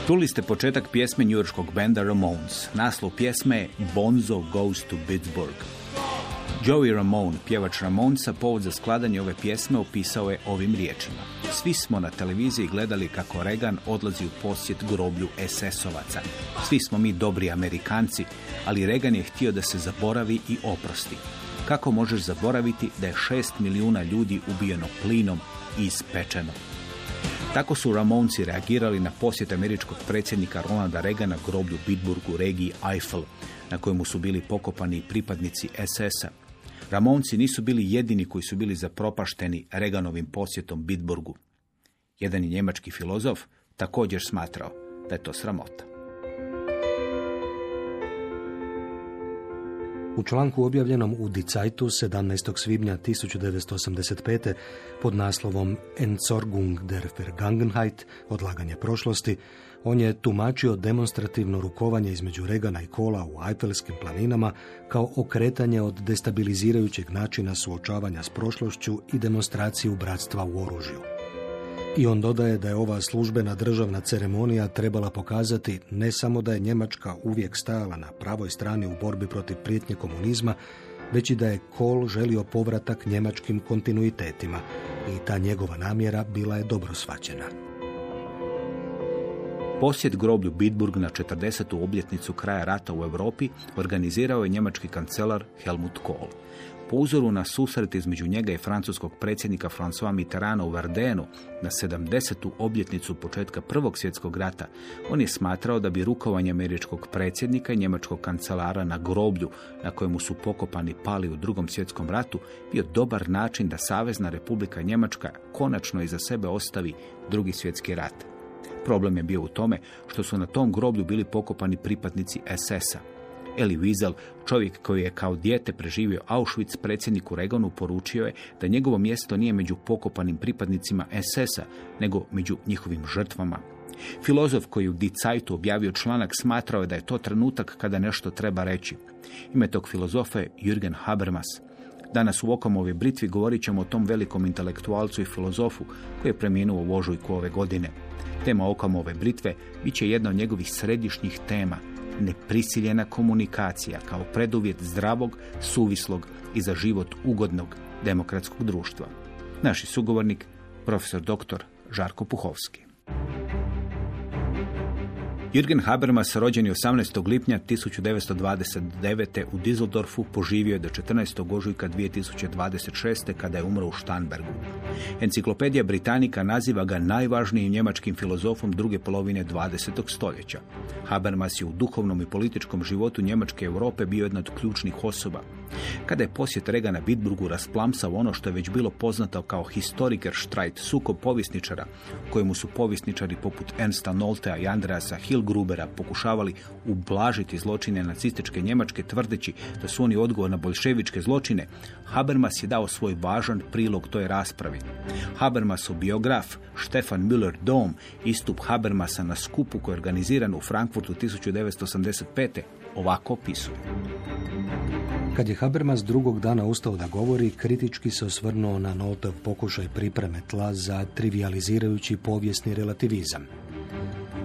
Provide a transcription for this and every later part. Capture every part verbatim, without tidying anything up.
Čuli ste početak pjesme njujorškog benda Ramones. Naslov pjesme je Bonzo Goes to Pittsburgh. Joey Ramone, pjevač Ramonesa, povod za skladanje ove pjesme opisao je ovim riječima. Svi smo na televiziji gledali kako Reagan odlazi u posjet groblju es es ovaca. Svi smo mi dobri Amerikanci, ali Reagan je htio da se zaboravi i oprosti. Kako možeš zaboraviti da je šest milijuna ljudi ubijeno plinom i ispečeno? Tako su Ramonesi reagirali na posjet američkog predsjednika Ronalda Reagana groblju Bitburgu u regiji Eifel, na kojemu su bili pokopani pripadnici es es a. Ramonesi nisu bili jedini koji su bili zapropašteni Reaganovim posjetom Bitburgu. Jedan je njemački filozof također smatrao da je to sramota. U članku objavljenom u Die Zeitung sedamnaestog svibnja tisuću devetsto osamdeset pete pod naslovom Entsorgung der Vergangenheit, odlaganje prošlosti, on je tumačio demonstrativno rukovanje između Reagana i Kohla u Eifelskim planinama kao okretanje od destabilizirajućeg načina suočavanja s prošlošću i demonstraciju bratstva u oružju. I on dodaje da je ova službena državna ceremonija trebala pokazati ne samo da je Njemačka uvijek stajala na pravoj strani u borbi protiv prijetnje komunizma, već i da je Kohl želio povratak njemačkim kontinuitetima i ta njegova namjera bila je dobro shvaćena. Posjet groblju Bitburg na četrdesetu obljetnicu kraja rata u Europi organizirao je njemački kancelar Helmut Kohl. Po uzoru na susret između njega i francuskog predsjednika François Mitterranda u Verdenu na sedamdesetu obljetnicu početka Prvog svjetskog rata, on je smatrao da bi rukovanje američkog predsjednika i njemačkog kancelara na groblju na kojemu su pokopani pali u Drugom svjetskom ratu bio dobar način da Savezna Republika Njemačka konačno iza sebe ostavi Drugi svjetski rat. Problem je bio u tome što su na tom groblju bili pokopani pripadnici es es a. Elie Wiesel, čovjek koji je kao dijete preživio Auschwitz, predsjedniku Reaganu poručio je da njegovo mjesto nije među pokopanim pripadnicima es es a, nego među njihovim žrtvama. Filozof koji u Die Zeitung objavio članak smatrao je da je to trenutak kada nešto treba reći. Ime tog filozofa je Jürgen Habermas. Danas u Okamovoj britvi govorit ćemo o tom velikom intelektualcu i filozofu koji je preminuo u ožujku ove godine. Tema Okamove britve bit će jedna od njegovih središnjih tema, neprisiljena komunikacija kao preduvjet zdravog, suvislog i za život ugodnog demokratskog društva. Naš sugovornik, profesor doktor Žarko Puhovski. Jürgen Habermas, rođen je osamnaestog lipnja tisuću devetsto dvadeset devete u Düsseldorfu, poživio je do četrnaestog ožujka dvije tisuće dvadeset šeste kada je umro u Starnbergu. Enciklopedija Britanika naziva ga najvažnijim njemačkim filozofom druge polovine dvadesetog stoljeća. Habermas je u duhovnom i političkom životu Njemačke Europe bio jedna od ključnih osoba. Kada je posjet Reagana Bitburgu rasplamsao ono što je već bilo poznato kao Historikerstreit, sukob povjesničara, kojemu su povjesničari poput Ernsta Noltea i Andreasa Hillgrubera pokušavali ublažiti zločine nacističke Njemačke tvrdeći da su oni odgovor na boljševičke zločine, Habermas je dao svoj važan prilog toj raspravi. Habermasov biograf Stefan Müller-Dom istup Habermasa na skupu koji je organiziran u Frankfurtu tisuću devetsto osamdeset pete ovako opisuje. Kad je Habermas drugog dana ustao da govori, kritički se osvrnuo na Noltov pokušaj pripreme tla za trivijalizirajući povijesni relativizam.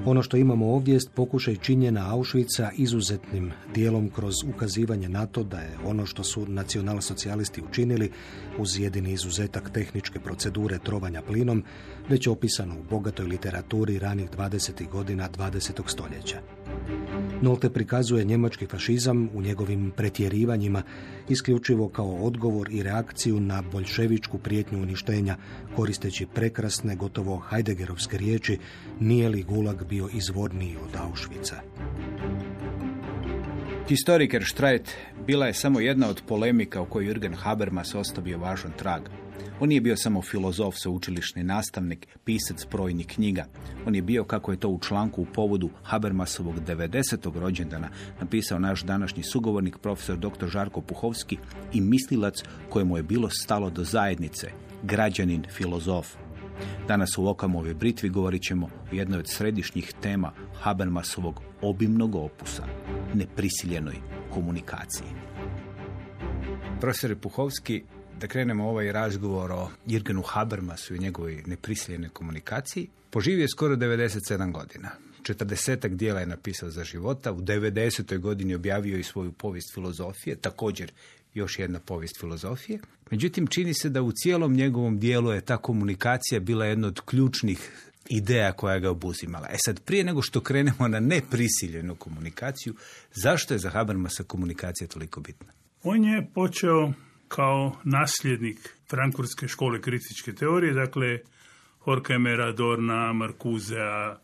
Ono što imamo ovdje jest pokušaj činjenja Auschwitza izuzetnim dijelom kroz ukazivanje na to da je ono što su nacionalsocijalisti učinili, uz jedini izuzetak tehničke procedure trovanja plinom, već opisano u bogatoj literaturi ranih dvadesetih godina dvadesetog stoljeća. Nolte prikazuje njemački fašizam u njegovim pretjerivanjima isključivo kao odgovor i reakciju na boljševičku prijetnju uništenja, koristeći prekrasne, gotovo Heideggerovske riječi: nije li gulag bio izvorniji od Auschwitza. Historikerstreit bila je samo jedna od polemika u kojoj Jürgen Habermas ostavio važan trag. On nije bio samo filozof, sveučilišni nastavnik, pisac brojnih knjiga. On je bio, kako je to u članku u povodu Habermasovog devedesetog rođendana napisao naš današnji sugovornik, profesor doktor Žarko Puhovski, i mislilac kojemu je bilo stalo do zajednice, građanin, filozof. Danas u Okamovoj britvi govorit ćemo o jednoj od središnjih tema Habermasovog obimnog opusa, neprisiljenoj komunikaciji. Profesor Puhovski, da krenemo ovaj razgovor o Jürgenu Habermasu i njegovoj neprisiljenoj komunikaciji. Poživio je skoro devedeset sedam godina. četrdesetak dijela je napisao za života, u devedesetoj godini objavio i svoju povijest filozofije, također još jedna povijest filozofije. Međutim, čini se da u cijelom njegovom dijelu je ta komunikacija bila jedna od ključnih ideja koja ga obuzimala. E sad, prije nego što krenemo na neprisiljenu komunikaciju, zašto je za Habermasa komunikacija toliko bitna? On je počeo kao nasljednik frankfurtske škole kritičke teorije, dakle Horkheimera, Adorna, Marcusea,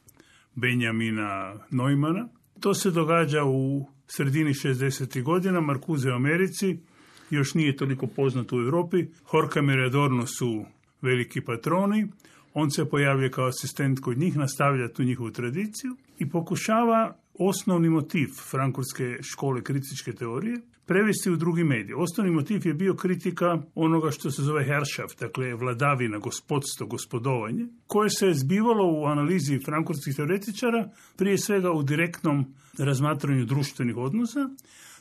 Benjamina Neumanna. To se događa u sredini šezdesetih godina. Marcuse u Americi još nije toliko poznat u Europi. Horkheimer i Adorno su veliki patroni. On se pojavlja kao asistent kod njih, nastavlja tu njihovu tradiciju i pokušava osnovni motiv frankfurtske škole kritičke teorije prevesti u drugi medij. Osnovni motiv je bio kritika onoga što se zove Herrschaft, dakle vladavina, gospodstvo, gospodovanje, koje se je zbivalo u analizi frankfurtskih teoretičara, prije svega u direktnom razmatranju društvenih odnosa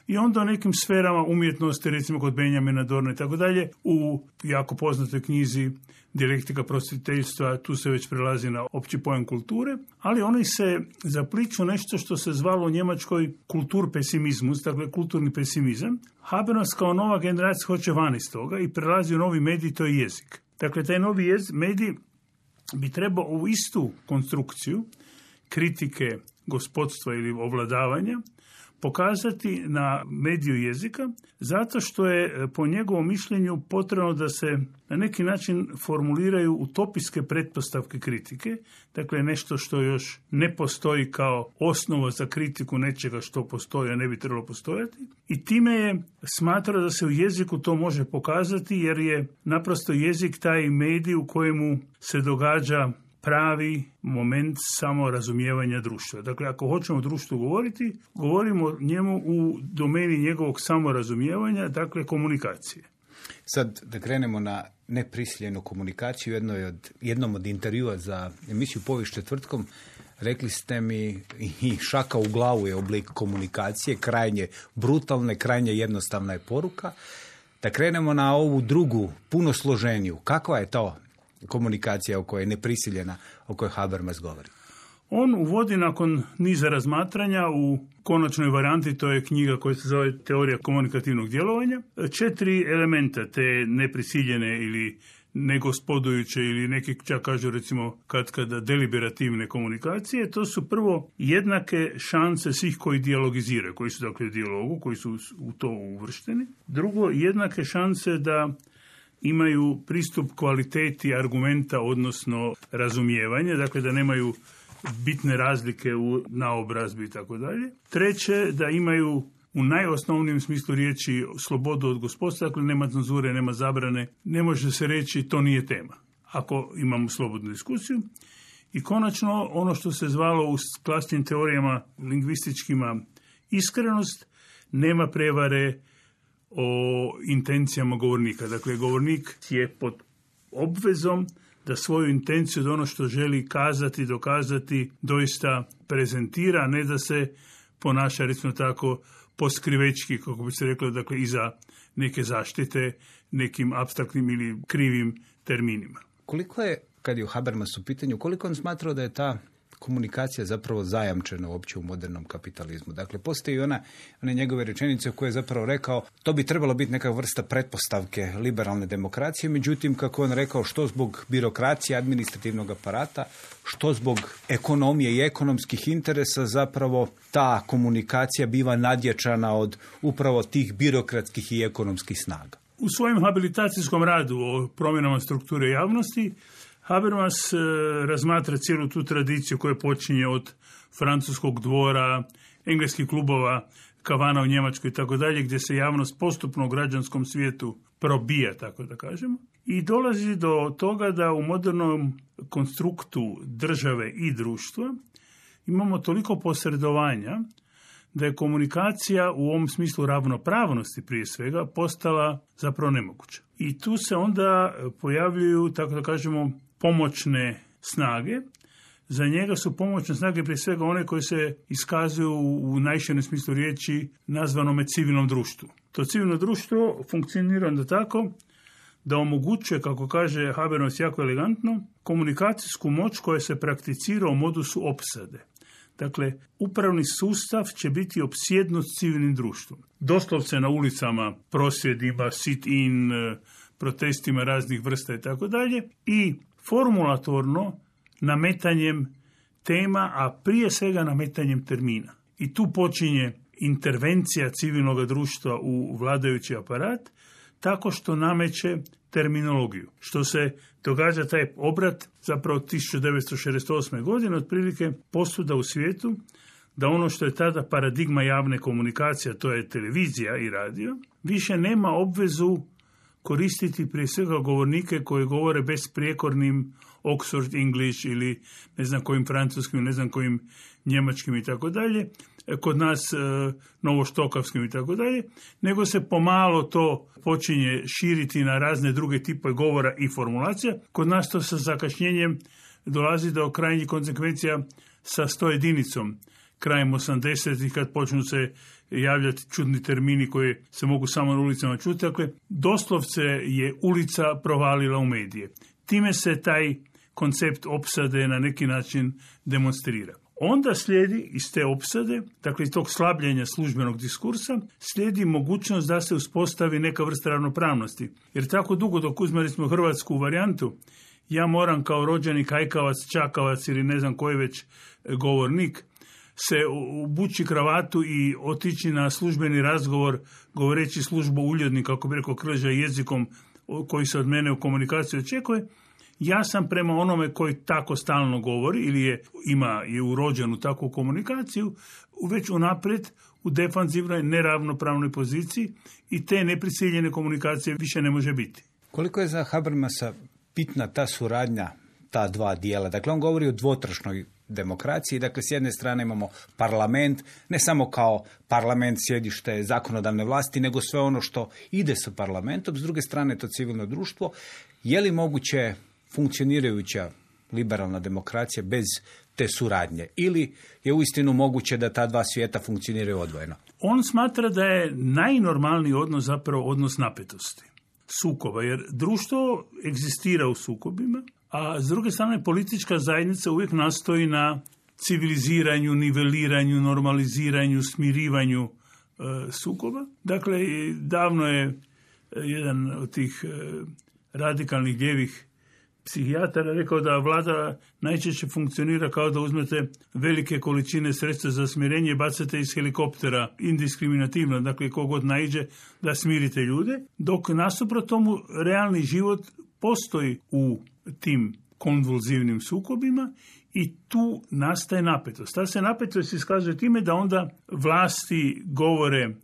i onda u nekim sferama umjetnosti, recimo kod Benjamina Dorna i tako dalje, u jako poznatoj knjizi Dijalektika prosvjetiteljstva, tu se već prelazi na opći pojam kulture, ali oni se zapliču nešto što se zvalo u Njemačkoj kulturpesimizmus, dakle kulturni pesimizam. Habermas kao nova generacija hoće van iz toga i prelazi u novi medij, to je jezik. Dakle, taj novi jez, medij bi trebao u istu konstrukciju kritike gospodstva ili ovladavanja pokazati na mediju jezika, zato što je po njegovom mišljenju potrebno da se na neki način formuliraju utopijske pretpostavke kritike, dakle nešto što još ne postoji kao osnova za kritiku nečega što postoji, a ne bi trebalo postojati. I time je smatrao da se u jeziku to može pokazati, jer je naprosto jezik taj medij u kojemu se događa pravi moment samorazumijevanja društva. Dakle, ako hoćemo o društvu govoriti, govorimo o njemu u domeni njegovog samorazumijevanja, dakle komunikacije. Sad da krenemo na neprisiljenu komunikaciju, jednoj od, jednom od intervjua za emisiju Povijest četvrtkom, rekli ste mi i šaka u glavu je oblik komunikacije, krajnje brutalne, krajnje jednostavna je poruka. Da krenemo na ovu drugu, puno složeniju. Kakva je to komunikacija o kojoj je neprisiljena, o kojoj Habermas govori? On uvodi nakon niza razmatranja u konačnoj varijanti, to je knjiga koja se zove Teorija komunikativnog djelovanja, četiri elementa te neprisiljene ili negospodujuće ili neki čak kažu recimo kad kada deliberativne komunikacije. To su prvo jednake šanse svih koji dijalogiziraju, koji su dakle u dijalogu, koji su u to uvršteni. Drugo, jednake šanse da imaju pristup kvaliteti argumenta, odnosno razumijevanje, dakle da nemaju bitne razlike u naobrazbi i tako dalje. Treće, da imaju u najosnovnijem smislu riječi slobodu od gospodstva, dakle nema cenzure, nema zabrane, ne može se reći to nije tema, ako imamo slobodnu diskusiju. I konačno, ono što se zvalo u klasnim teorijama lingvističkima iskrenost, nema prevare o intencijama govornika. Dakle, govornik je pod obvezom da svoju intenciju, da ono što želi kazati, dokazati, doista prezentira, ne da se ponaša, recimo tako, poskrivečki, kako bi se reklo, dakle, iza neke zaštite, nekim apstraktnim ili krivim terminima. Koliko je, kad je u Habermas u pitanju, koliko on smatrao da je ta komunikacija zapravo zajamčena uopće u modernom kapitalizmu? Dakle, postoji ona, one njegove rečenice koje je zapravo rekao, to bi trebalo biti neka vrsta pretpostavke liberalne demokracije, međutim, kako on rekao, što zbog birokracije, administrativnog aparata, što zbog ekonomije i ekonomskih interesa, zapravo ta komunikacija biva nadjačana od upravo tih birokratskih i ekonomskih snaga. U svojem habilitacijskom radu o promjenama strukture javnosti, Habermas e, razmatra cijelu tu tradiciju koja počinje od francuskog dvora, engleskih klubova, kavana u Njemačkoj i tako dalje, gdje se javnost postupno u građanskom svijetu probija, tako da kažemo. I dolazi do toga da u modernom konstruktu države i društva imamo toliko posredovanja da je komunikacija u ovom smislu ravnopravnosti prije svega postala zapravo nemoguća. I tu se onda pojavljuju, tako da kažemo, pomoćne snage. Za njega su pomoćne snage prije svega one koje se iskazuju u najširem smislu riječi nazvanome civilnom društvu. To civilno društvo funkcionira onda tako da omogućuje, kako kaže Habermas jako elegantno, komunikacijsku moć koja se prakticira u modusu opsade. Dakle, upravni sustav će biti opsjednut civilnim društvom. Doslovce na ulicama, prosvjedima, sit-in, protestima raznih vrsta i tako dalje. I formulatorno nametanjem tema, a prije svega nametanjem termina. I tu počinje intervencija civilnog društva u vladajući aparat, tako što nameće terminologiju. Što se događa taj obrat zapravo tisuću devetsto šezdeset osme. godine, otprilike posuda u svijetu, da ono što je tada paradigma javne komunikacije, to je televizija i radio, više nema obvezu koristiti prije svega govornike koji govore besprijekornim Oxford English ili ne znam kojim francuskim, ne znam kojim njemačkim i tako dalje, kod nas e, novoštokavskim i tako dalje, nego se pomalo to počinje širiti na razne druge tipove govora i formulacija. Kod nas to sa zakašnjenjem dolazi do krajnjih konsekvencija sa sto jedinicom. Krajem osamdesetih kad počnu se javljati čudni termini koji se mogu samo na ulicama čuti. Dakle, doslovce je ulica provalila u medije. Time se taj koncept opsade na neki način demonstrira. Onda slijedi iz te opsade, dakle iz tog slabljenja službenog diskursa, slijedi mogućnost da se uspostavi neka vrsta ravnopravnosti. Jer tako dugo dok uzmeli smo hrvatsku varijantu, ja moram kao rođeni kajkavac, čakavac ili ne znam koji već govornik se obući kravatu i otići na službeni razgovor govoreći službu uljudni, kako bi rekao Krleža, jezikom koji se od mene u komunikaciji očekuje. Ja sam prema onome koji tako stalno govori ili je, ima, je urođen u takvu komunikaciju, već unaprijed u defanzivnoj neravnopravnoj poziciji i te neprisiljene komunikacije više ne može biti. Koliko je za Habermasa bitna ta suradnja, ta dva dijela? Dakle, on govori o dvotrašnoj demokraciji. Dakle, s jedne strane imamo parlament, ne samo kao parlament sjedište zakonodavne vlasti, nego sve ono što ide sa parlamentom. S druge strane, to civilno društvo. Je li moguće funkcionirajuća liberalna demokracija bez te suradnje? Ili je uistinu moguće da ta dva svijeta funkcioniraju odvojeno? On smatra da je najnormalniji odnos zapravo odnos napetosti, sukoba, jer društvo egzistira u sukobima, a s druge strane politička zajednica uvijek nastoji na civiliziranju, niveliranju, normaliziranju, smirivanju e, sukoba. Dakle, davno je jedan od tih e, radikalnih lijevih psihijatara rekao da vlada najčešće funkcionira kao da uzmete velike količine sredstva za smirenje i bacate iz helikoptera indiskriminativno, dakle kogod naiđe da smirite ljude, dok nasuprot tomu realni život postoji u tim konvulzivnim sukobima i tu nastaje napetost. Ta se napetost iskazuje time da onda vlasti govore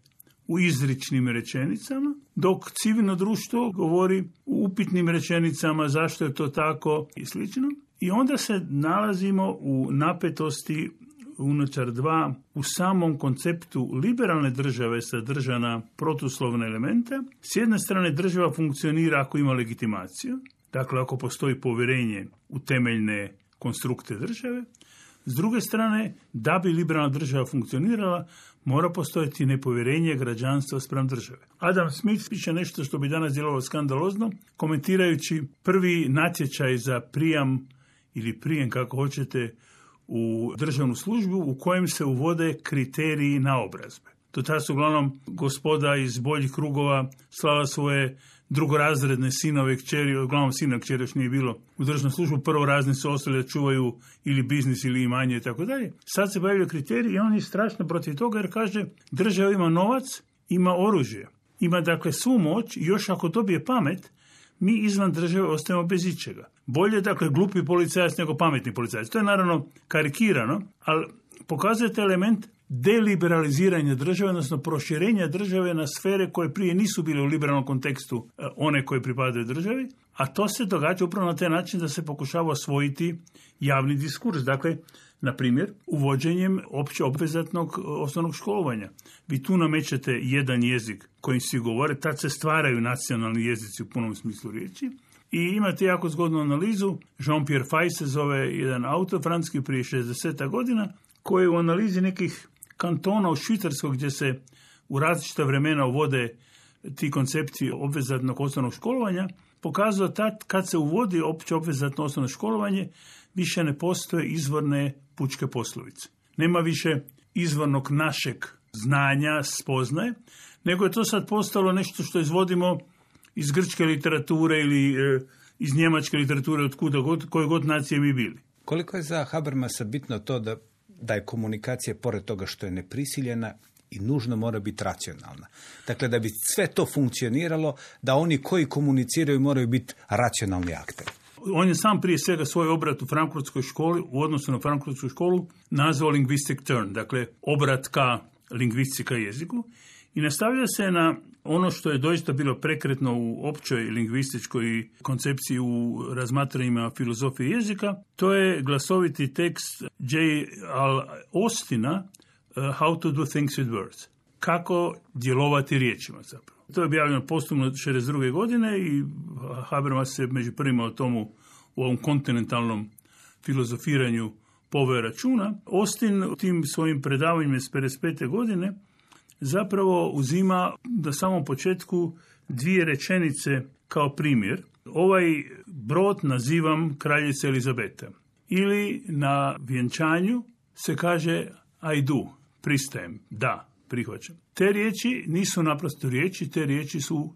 u izričnim rečenicama, dok civilno društvo govori u upitnim rečenicama zašto je to tako i slično. I onda se nalazimo u napetosti unutar dva, u samom konceptu liberalne države sadržana protuslovne elemente. S jedne strane država funkcionira ako ima legitimaciju, dakle ako postoji povjerenje u temeljne konstrukte države. S druge strane, da bi liberalna država funkcionirala, mora postojati nepovjerenje građanstva spram države. Adam Smith piše nešto što bi danas djelovalo skandalozno, komentirajući prvi natječaj za prijam ili prijem, kako hoćete, u državnu službu u kojem se uvode kriteriji naobrazbe. Do tada su uglavnom gospoda iz boljih krugova slala svoje drugorazredne sinove, kćeri, uglavnom sina kćeri još nije bilo u državnu službu, prvorazni su ostali da čuvaju ili biznis ili imanje i tako dalje. Sad se pojavljaju kriteriji i on je strašno protiv toga jer kaže država ima novac, ima oružje, ima dakle svu moć i još ako dobije pamet, mi izvan države ostajemo bez ičega. Bolje dakle glupi policajac nego pametni policajac. To je naravno karikirano, ali pokazuje taj element deliberaliziranja države, odnosno proširenja države na sfere koje prije nisu bile u liberalnom kontekstu one koje pripadaju državi, a to se događa upravo na taj način da se pokušava osvojiti javni diskurs. Dakle, na primjer, uvođenjem opće obvezatnog osnovnog školovanja. Vi tu namećete jedan jezik kojim svi govore, tad se stvaraju nacionalni jezici u punom smislu riječi. I imate jako zgodnu analizu, Jean-Pierre Fay se zove jedan autor francuski prije šezdeset godina, koji u analizi nekih kantona u Švicarskoj gdje se u različita vremena uvode ti koncepti obvezatnog osnovnog školovanja, pokazao tad kad se uvodi opće obvezatno osnovno školovanje, više ne postoje izvorne pučke poslovice. nema više izvornog našeg znanja, spoznaje, nego je to sad postalo nešto što izvodimo iz grčke literature ili e, iz njemačke literature, od kuda god, koje god nacije mi bili. Koliko je za Habermasa bitno to da, da je komunikacija, pored toga što je neprisiljena, i nužno mora biti racionalna. Dakle, da bi sve to funkcioniralo, da oni koji komuniciraju moraju biti racionalni akteri. On je sam prije svega svoj obrat u frankfurtskoj školi, u odnosu na frankfurtsku školu, nazvao linguistic turn, dakle obrat ka lingvistici, ka jeziku, i nastavlja se na ono što je doista bilo prekretno u općoj lingvističkoj koncepciji u razmatranjima filozofije jezika. To je glasoviti tekst J. Al Austina uh, How to do things with words. Kako djelovati riječima zapravo. To je objavljeno posthumno šezdeset druge godine i Habermas se među prvima o tomu u ovom kontinentalnom filozofiranju poveo računa. Austin u tim svojim predavanjima iz pedeset pete godine zapravo uzima na samom početku dvije rečenice kao primjer. Ovaj brod nazivam kraljica Elizabeta. Ili na vjenčanju se kaže I do, pristajem, da, prihvaćam. Te riječi nisu naprosto riječi, te riječi su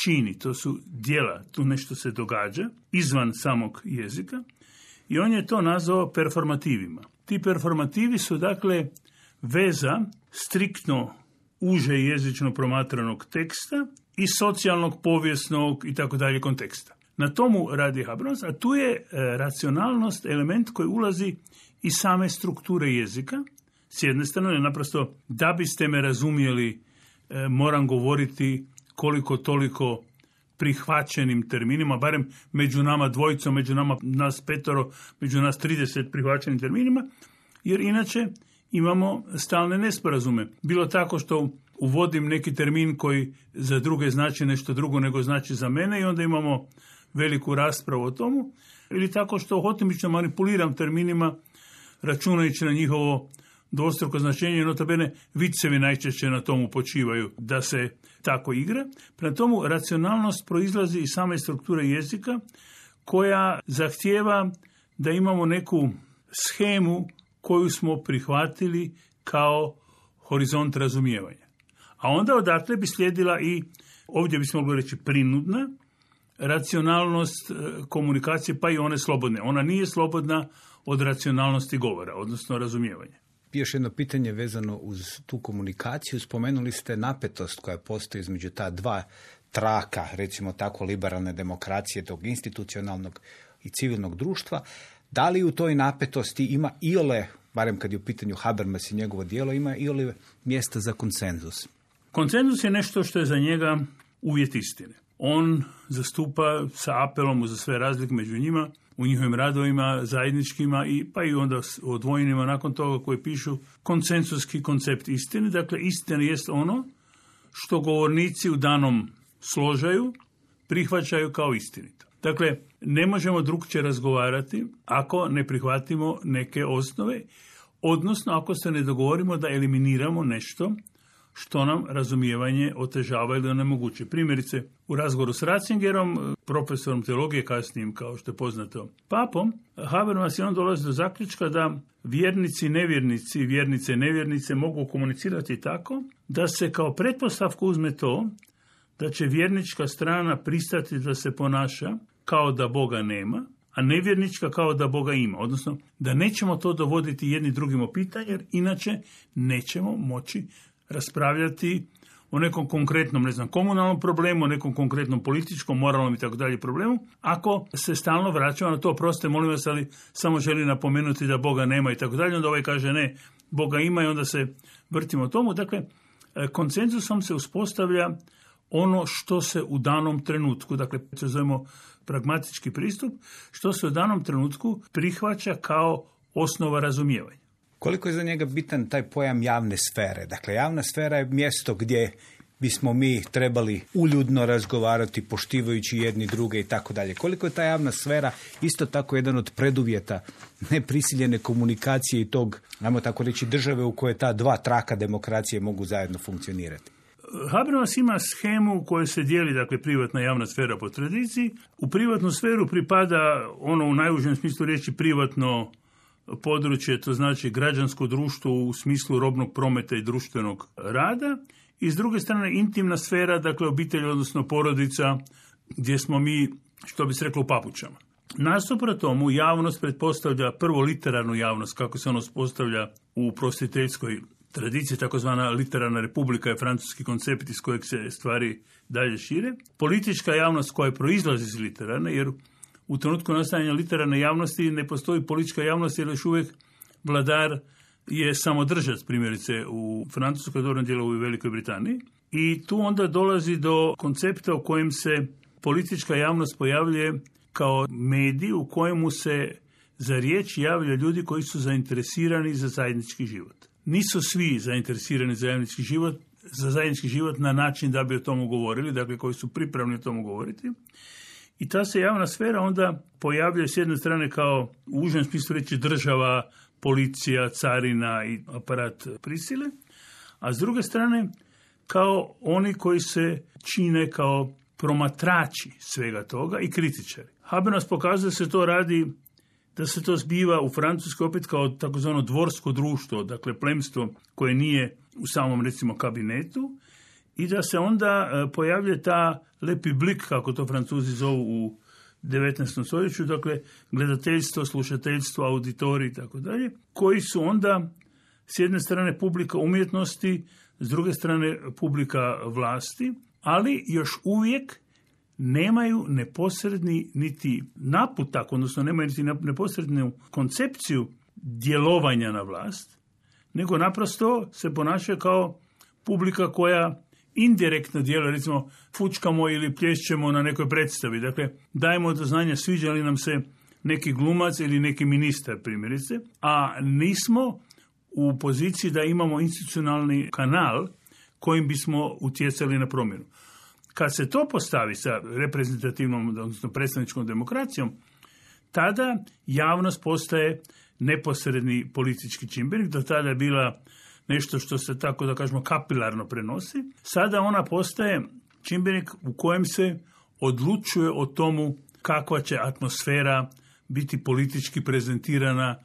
čini, to su djela, tu nešto se događa izvan samog jezika i on je to nazvao performativima. Ti performativi su dakle veza striktno uže jezično promatranog teksta i socijalnog, povijesnog i tako dalje konteksta. Na tomu radi Habermas, a tu je e, racionalnost element koji ulazi iz same strukture jezika. S jedne strane, naprosto, da biste me razumjeli, e, moram govoriti koliko toliko prihvaćenim terminima, barem među nama dvojicom, među nama nas petoro, među nas trideset prihvaćenim terminima, jer inače imamo stalne nesporazume. Bilo tako što uvodim neki termin koji za druge znači nešto drugo nego znači za mene i onda imamo veliku raspravu o tomu, ili tako što hotimično manipuliram terminima računajući na njihovo dvostruko značenje i notabene vicevi najčešće na tomu počivaju da se tako igra. Prema tomu racionalnost proizlazi iz same strukture jezika koja zahtijeva da imamo neku shemu koju smo prihvatili kao horizont razumijevanja. A onda odatle bi slijedila i, ovdje bismo mogli reći, prinudna racionalnost komunikacije, pa i one slobodne. Ona nije slobodna od racionalnosti govora, odnosno razumijevanja. Još jedno pitanje vezano uz tu komunikaciju. Spomenuli ste napetost koja postoji između ta dva traka, recimo tako, liberalne demokracije, tog institucionalnog i civilnog društva. Da li u toj napetosti ima iole, barem kad je u pitanju Habermas i njegovo djelo, ima iole mjesta za konsenzus? Konsenzus je nešto što je za njega uvjet istine. On zastupa sa apelom za sve razlike među njima, u njihovim radovima zajedničkima i pa i onda odvojenima nakon toga koji pišu konsenzuski koncept istine. Dakle, istina jest ono što govornici u danom složaju prihvaćaju kao istinito. Dakle, ne možemo drukčije razgovarati ako ne prihvatimo neke osnove, odnosno ako se ne dogovorimo da eliminiramo nešto što nam razumijevanje otežava ili onemogućuje. Primjerice, u razgovoru s Ratzingerom, profesorom teologije, kasnijim, kao što je poznato, papom, Habermas i on dolazi do zaključka da vjernici, nevjernici, vjernice, nevjernice mogu komunicirati tako da se kao pretpostavku uzme to da će vjernička strana pristati da se ponaša kao da Boga nema, a nevjernička kao da Boga ima. Odnosno, da nećemo to dovoditi jedni drugim u pitanje, jer inače nećemo moći raspravljati o nekom konkretnom, ne znam, komunalnom problemu, o nekom konkretnom političkom, moralnom i tako dalje problemu, ako se stalno vraćamo na to, proste, molim vas, ali samo želi napomenuti da Boga nema i tako dalje, onda ovaj kaže ne, Boga ima i onda se vrtimo tomu. Dakle, konsenzusom se uspostavlja ono što se u danom trenutku, dakle, se zovemo pragmatički pristup, što se u danom trenutku prihvaća kao osnova razumijevanja. Koliko je za njega bitan taj pojam javne sfere? Dakle, javna sfera je mjesto gdje bismo mi trebali uljudno razgovarati, poštivajući jedni druge i tako dalje. Koliko je ta javna sfera isto tako jedan od preduvjeta neprisiljene komunikacije i tog, ajmo tako reći, države u kojoj ta dva traka demokracije mogu zajedno funkcionirati? Habermas ima shemu u kojoj se dijeli, dakle, privatna javna sfera po tradiciji. U privatnu sferu pripada ono u najužem smislu riječi privatno područje, to znači građansko društvo u smislu robnog prometa i društvenog rada, i s druge strane intimna sfera, dakle obitelj, odnosno porodica, gdje smo mi, što bi se reklo, u papučama. Nasuprot tomu, javnost pretpostavlja prvo literarnu javnost, kako se ono postavlja u prosvjetiteljskoj tradiciji, takozvana literarna republika je francuski koncept iz kojeg se stvari dalje šire. Politička javnost koja proizlazi iz literarne, jer u trenutku nastajanja literarne javnosti ne postoji politička javnost, jer još uvijek vladar je samodržac, primjerice u Francuskoj, dobrom dijelu u Velikoj Britaniji. I tu onda dolazi do koncepta u kojem se politička javnost pojavljuje kao medij u kojemu se za riječ javljaju ljudi koji su zainteresirani za zajednički život. Nisu svi zainteresirani za zajednički život, za zajednički život na način da bi o tomu govorili, dakle koji su pripravni o tomu govoriti. I ta se javna sfera onda pojavljuje s jedne strane kao u užem smislu reći država, policija, carina i aparat prisile, a s druge strane kao oni koji se čine kao promatrači svega toga i kritičari. Habermas pokazuje da se to radi, da se to zbiva u Francuskoj opet kao takozvano dvorsko društvo, dakle plemstvo koje nije u samom recimo kabinetu, i da se onda pojavlja ta le public, kako to Francuzi zovu u devetnaestom stoljeću, dakle gledateljstvo, slušateljstvo, auditori i tako dalje, koji su onda s jedne strane publika umjetnosti, s druge strane publika vlasti, ali još uvijek nemaju neposredni niti naputak, odnosno nemaju niti neposrednu koncepciju djelovanja na vlast, nego naprosto se ponaša kao publika koja indirektno djeluje, recimo fučkamo ili plješćemo na nekoj predstavi. Dakle, dajemo do znanja sviđa li nam se neki glumac ili neki ministar, primjerice, a nismo u poziciji da imamo institucionalni kanal kojim bismo utjecali na promjenu. Kad se to postavi sa reprezentativnom, odnosno predstavničkom demokracijom, tada javnost postaje neposredni politički čimbenik. Do tada je bila nešto što se tako da kažemo kapilarno prenosi. Sada ona postaje čimbenik u kojem se odlučuje o tomu kakva će atmosfera biti politički prezentirana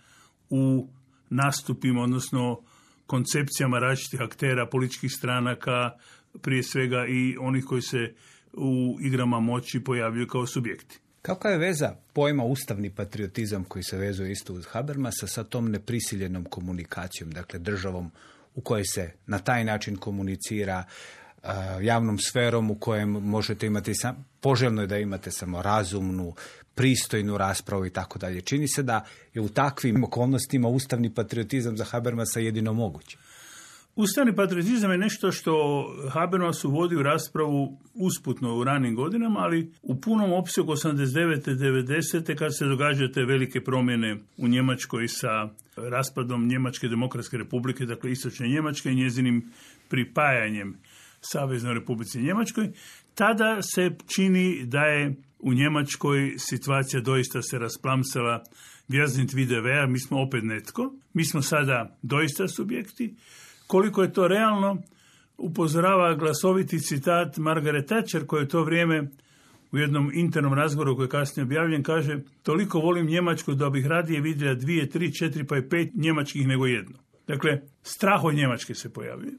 u nastupima, odnosno koncepcijama različitih aktera, političkih stranaka, prije svega i onih koji se u igrama moći pojavljuju kao subjekti. Kakva je veza pojma ustavni patriotizam koji se vezuje isto uz Habermasa sa tom neprisiljenom komunikacijom, dakle državom u kojoj se na taj način komunicira, javnom sferom u kojem možete imati, sam, poželjno je da imate samo razumnu, pristojnu raspravu i tako dalje. Čini se da je u takvim okolnostima ustavni patriotizam za Habermasa jedino moguće. Ustavni patriotizam je nešto što Habermas uvodi u raspravu usputno u ranim godinama, ali u punom opsegu osamdeset devete devedesete kad se događaju te velike promjene u Njemačkoj sa raspadom Njemačke demokratske republike, dakle istočne Njemačke i njezinim pripajanjem Saveznoj Republici Njemačkoj, tada se čini da je u Njemačkoj situacija doista se rasplamsala. Wir sind wieder wer, mi smo opet netko, mi smo sada doista subjekti. Koliko je to realno, upozorava glasoviti citat Margaret Thatcher, koja je to vrijeme u jednom internom razgovoru koji je kasnije objavljen, kaže: toliko volim Njemačku da bih radije vidjela dvije, tri, četiri pa i pet njemačkih nego jedno. Dakle, strah od Njemačke se pojavljuje.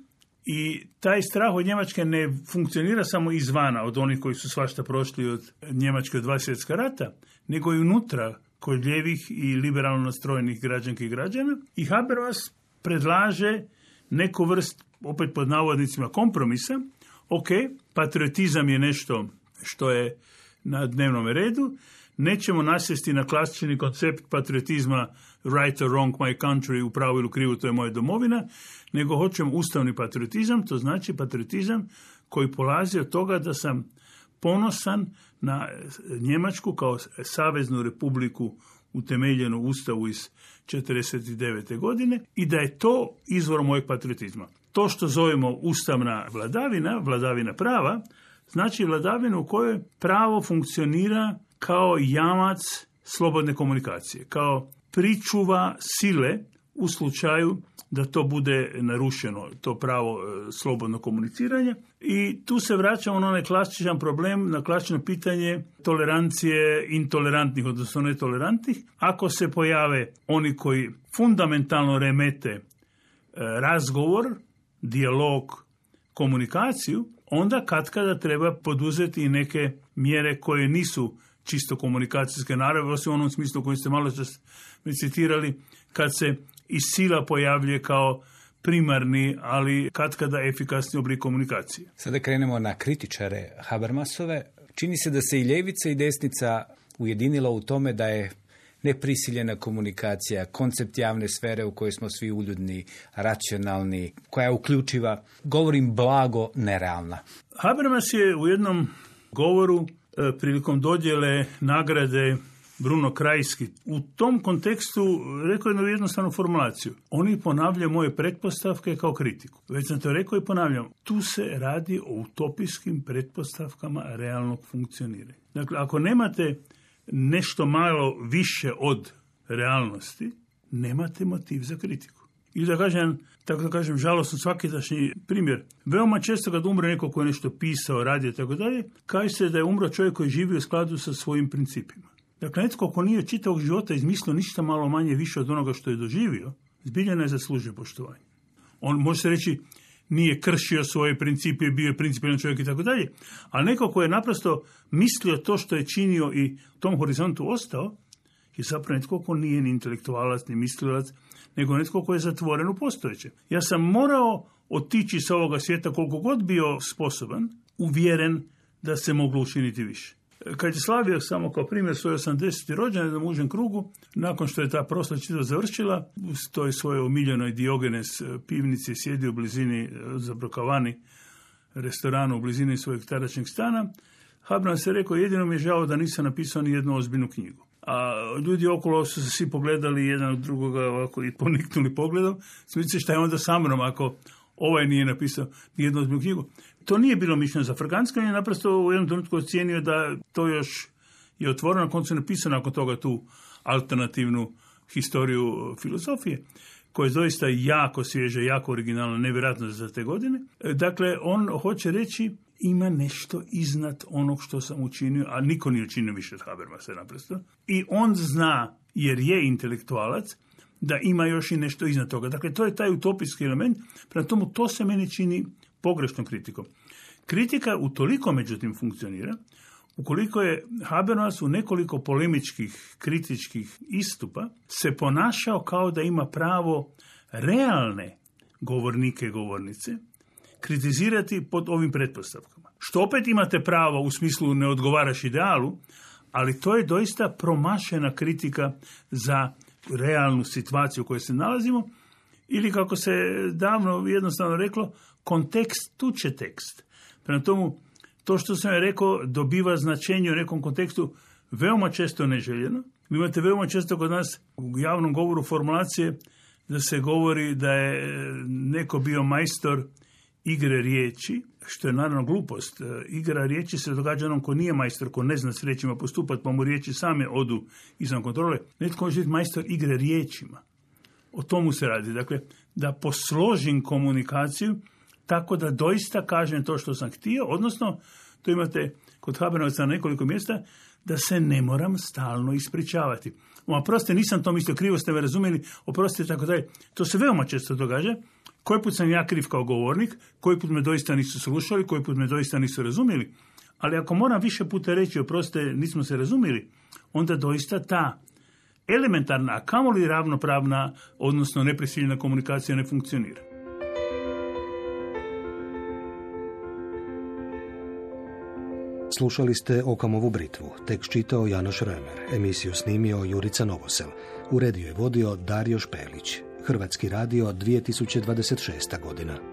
I taj strah od Njemačke ne funkcionira samo izvana, od onih koji su svašta prošli od Njemačke od dva svjetska rata, nego i unutra kod ljevih i liberalno nastrojenih građanki i građana. I Habermas predlaže neku vrst, opet pod navodnicima, kompromisa. Ok, patriotizam je nešto što je na dnevnom redu. Nećemo nasjesti na klasični koncept patriotizma right or wrong, my country, u pravu ili krivu, to je moja domovina, nego hoćemo ustavni patriotizam, to znači patriotizam koji polazi od toga da sam ponosan na Njemačku kao saveznu republiku utemeljenu u Ustavu iz četrdeset devete godine i da je to izvor mojeg patriotizma. To što zovemo ustavna vladavina, vladavina prava, znači vladavina u kojoj pravo funkcionira kao jamac slobodne komunikacije, kao pričuva sile u slučaju da to bude narušeno, to pravo e, slobodno komuniciranje. I tu se vraćamo na onaj klasičan problem, na klasično pitanje tolerancije intolerantnih, odnosno netolerantnih. Ako se pojave oni koji fundamentalno remete e, razgovor, dijalog, komunikaciju, onda katkada treba poduzeti i neke mjere koje nisu čisto komunikacijske naravi, osim u onom smislu koji ste malo čas citirali, kad se i sila pojavljuje kao primarni, ali katkada efikasni oblik komunikacije. Sada krenemo na kritičare Habermasove. Čini se da se i ljevica i desnica ujedinila u tome da je neprisiljena komunikacija, koncept javne sfere u kojoj smo svi uljudni, racionalni, koja je uključiva, govorim blago, nerealna. Habermas je u jednom govoru e, prilikom dodjele nagrade Bruno Kreisky u tom kontekstu rekao jednu jednostavnu formulaciju. Oni ponavljaju moje pretpostavke kao kritiku. Već sam to rekao i ponavljam. Tu se radi o utopijskim pretpostavkama realnog funkcioniranja. Dakle, ako nemate nešto malo više od realnosti, nemate motiv za kritiku. Ili da kažem, tako da kažem, žalosno svakidašnji primjer. Veoma često kad umre neko koji je nešto pisao, radio, tako dalje, kaže se da je umro čovjek koji živi u skladu sa svojim principima. Dakle, netko ko nije čitavog života izmislio ništa malo manje više od onoga što je doživio, zbilja ne zaslužuje poštovanje. On može se reći nije kršio svoje principe, bio je principijelan čovjek i tako dalje, ali neko ko je naprosto mislio to što je činio i u tom horizontu ostao, je zapravo netko ko nije ni intelektualac, ni mislilac, nego netko ko je zatvoren u postojeće. Ja sam morao otići sa ovoga svijeta koliko god bio sposoban, uvjeren da se moglo učiniti više. Kad je slavio samo kao primjer svoj osamdeseti rođendan u užem krugu, nakon što je ta proslava čitava završila, u toj svojoj omiljenoj Diogenes pivnici sjedio u blizini Zabrokavani restoranu u blizini svojeg tadašnjeg stana, Habermas je rekao, jedino mi je žao da nisam napisao ni jednu ozbiljnu knjigu. A ljudi okolo su se svi pogledali jedan od drugoga ovako i poniknuli pogledom. Smislite šta je onda sa mnom ako ovaj nije napisao ni jednu ozbiljnu knjigu. To nije bilo mišljeno za Frganska, on je naprosto u jednom trenutku ocijenio da to još je otvoreno, na koncu napisano nakon toga tu alternativnu historiju filozofije, koja je doista jako svježa, jako originalna, nevjerojatno za te godine. Dakle, on hoće reći ima nešto iznad onog što sam učinio, a niko nije učinio više od Habermasa naprosto. I on zna, jer je intelektualac, da ima još i nešto iznad toga. Dakle, to je taj utopijski element, prema tomu to se meni čini pogrešnom kritikom. Kritika utoliko međutim funkcionira, ukoliko je Habermas u nekoliko polemičkih, kritičkih istupa se ponašao kao da ima pravo realne govornike i govornice kritizirati pod ovim pretpostavkama. Što opet imate pravo u smislu ne odgovaraš idealu, ali to je doista promašena kritika za realnu situaciju u kojoj se nalazimo, ili kako se davno jednostavno reklo, kontekst tuče tekst. Prema tomu, to što sam je rekao dobiva značenje u nekom kontekstu veoma često neželjeno. Vi imate veoma često kod nas u javnom govoru formulacije da se govori da je neko bio majstor igre riječi, što je naravno glupost. Igra riječi se događa onom ko nije majstor, ko ne zna s riječima postupati, pa mu riječi same odu izvan kontrole. Netko može biti majstor igre riječima. O tomu se radi. Dakle, da posložim komunikaciju tako da doista kažem to što sam htio, odnosno, to imate kod Habermasa na nekoliko mjesta, da se ne moram stalno ispričavati. Oprostite, nisam to mislio, krivo ste me razumjeli, oprostite, tako dalje. To se veoma često događa. Koji put sam ja kriv kao govornik, koji put me doista nisu slušali, koji put me doista nisu razumjeli. Ali ako moram više puta reći, oprostite, nismo se razumjeli, onda doista ta elementarna, a kamoli ravnopravna, odnosno neprisiljena komunikacija ne funkcionira. Slušali ste Okamovu britvu, tekst čitao Janoš Remer, emisiju snimio Jurica Novosel, uredio je vodio Dario Špelić. Hrvatski radio dvije tisuće dvadeset šesta godina.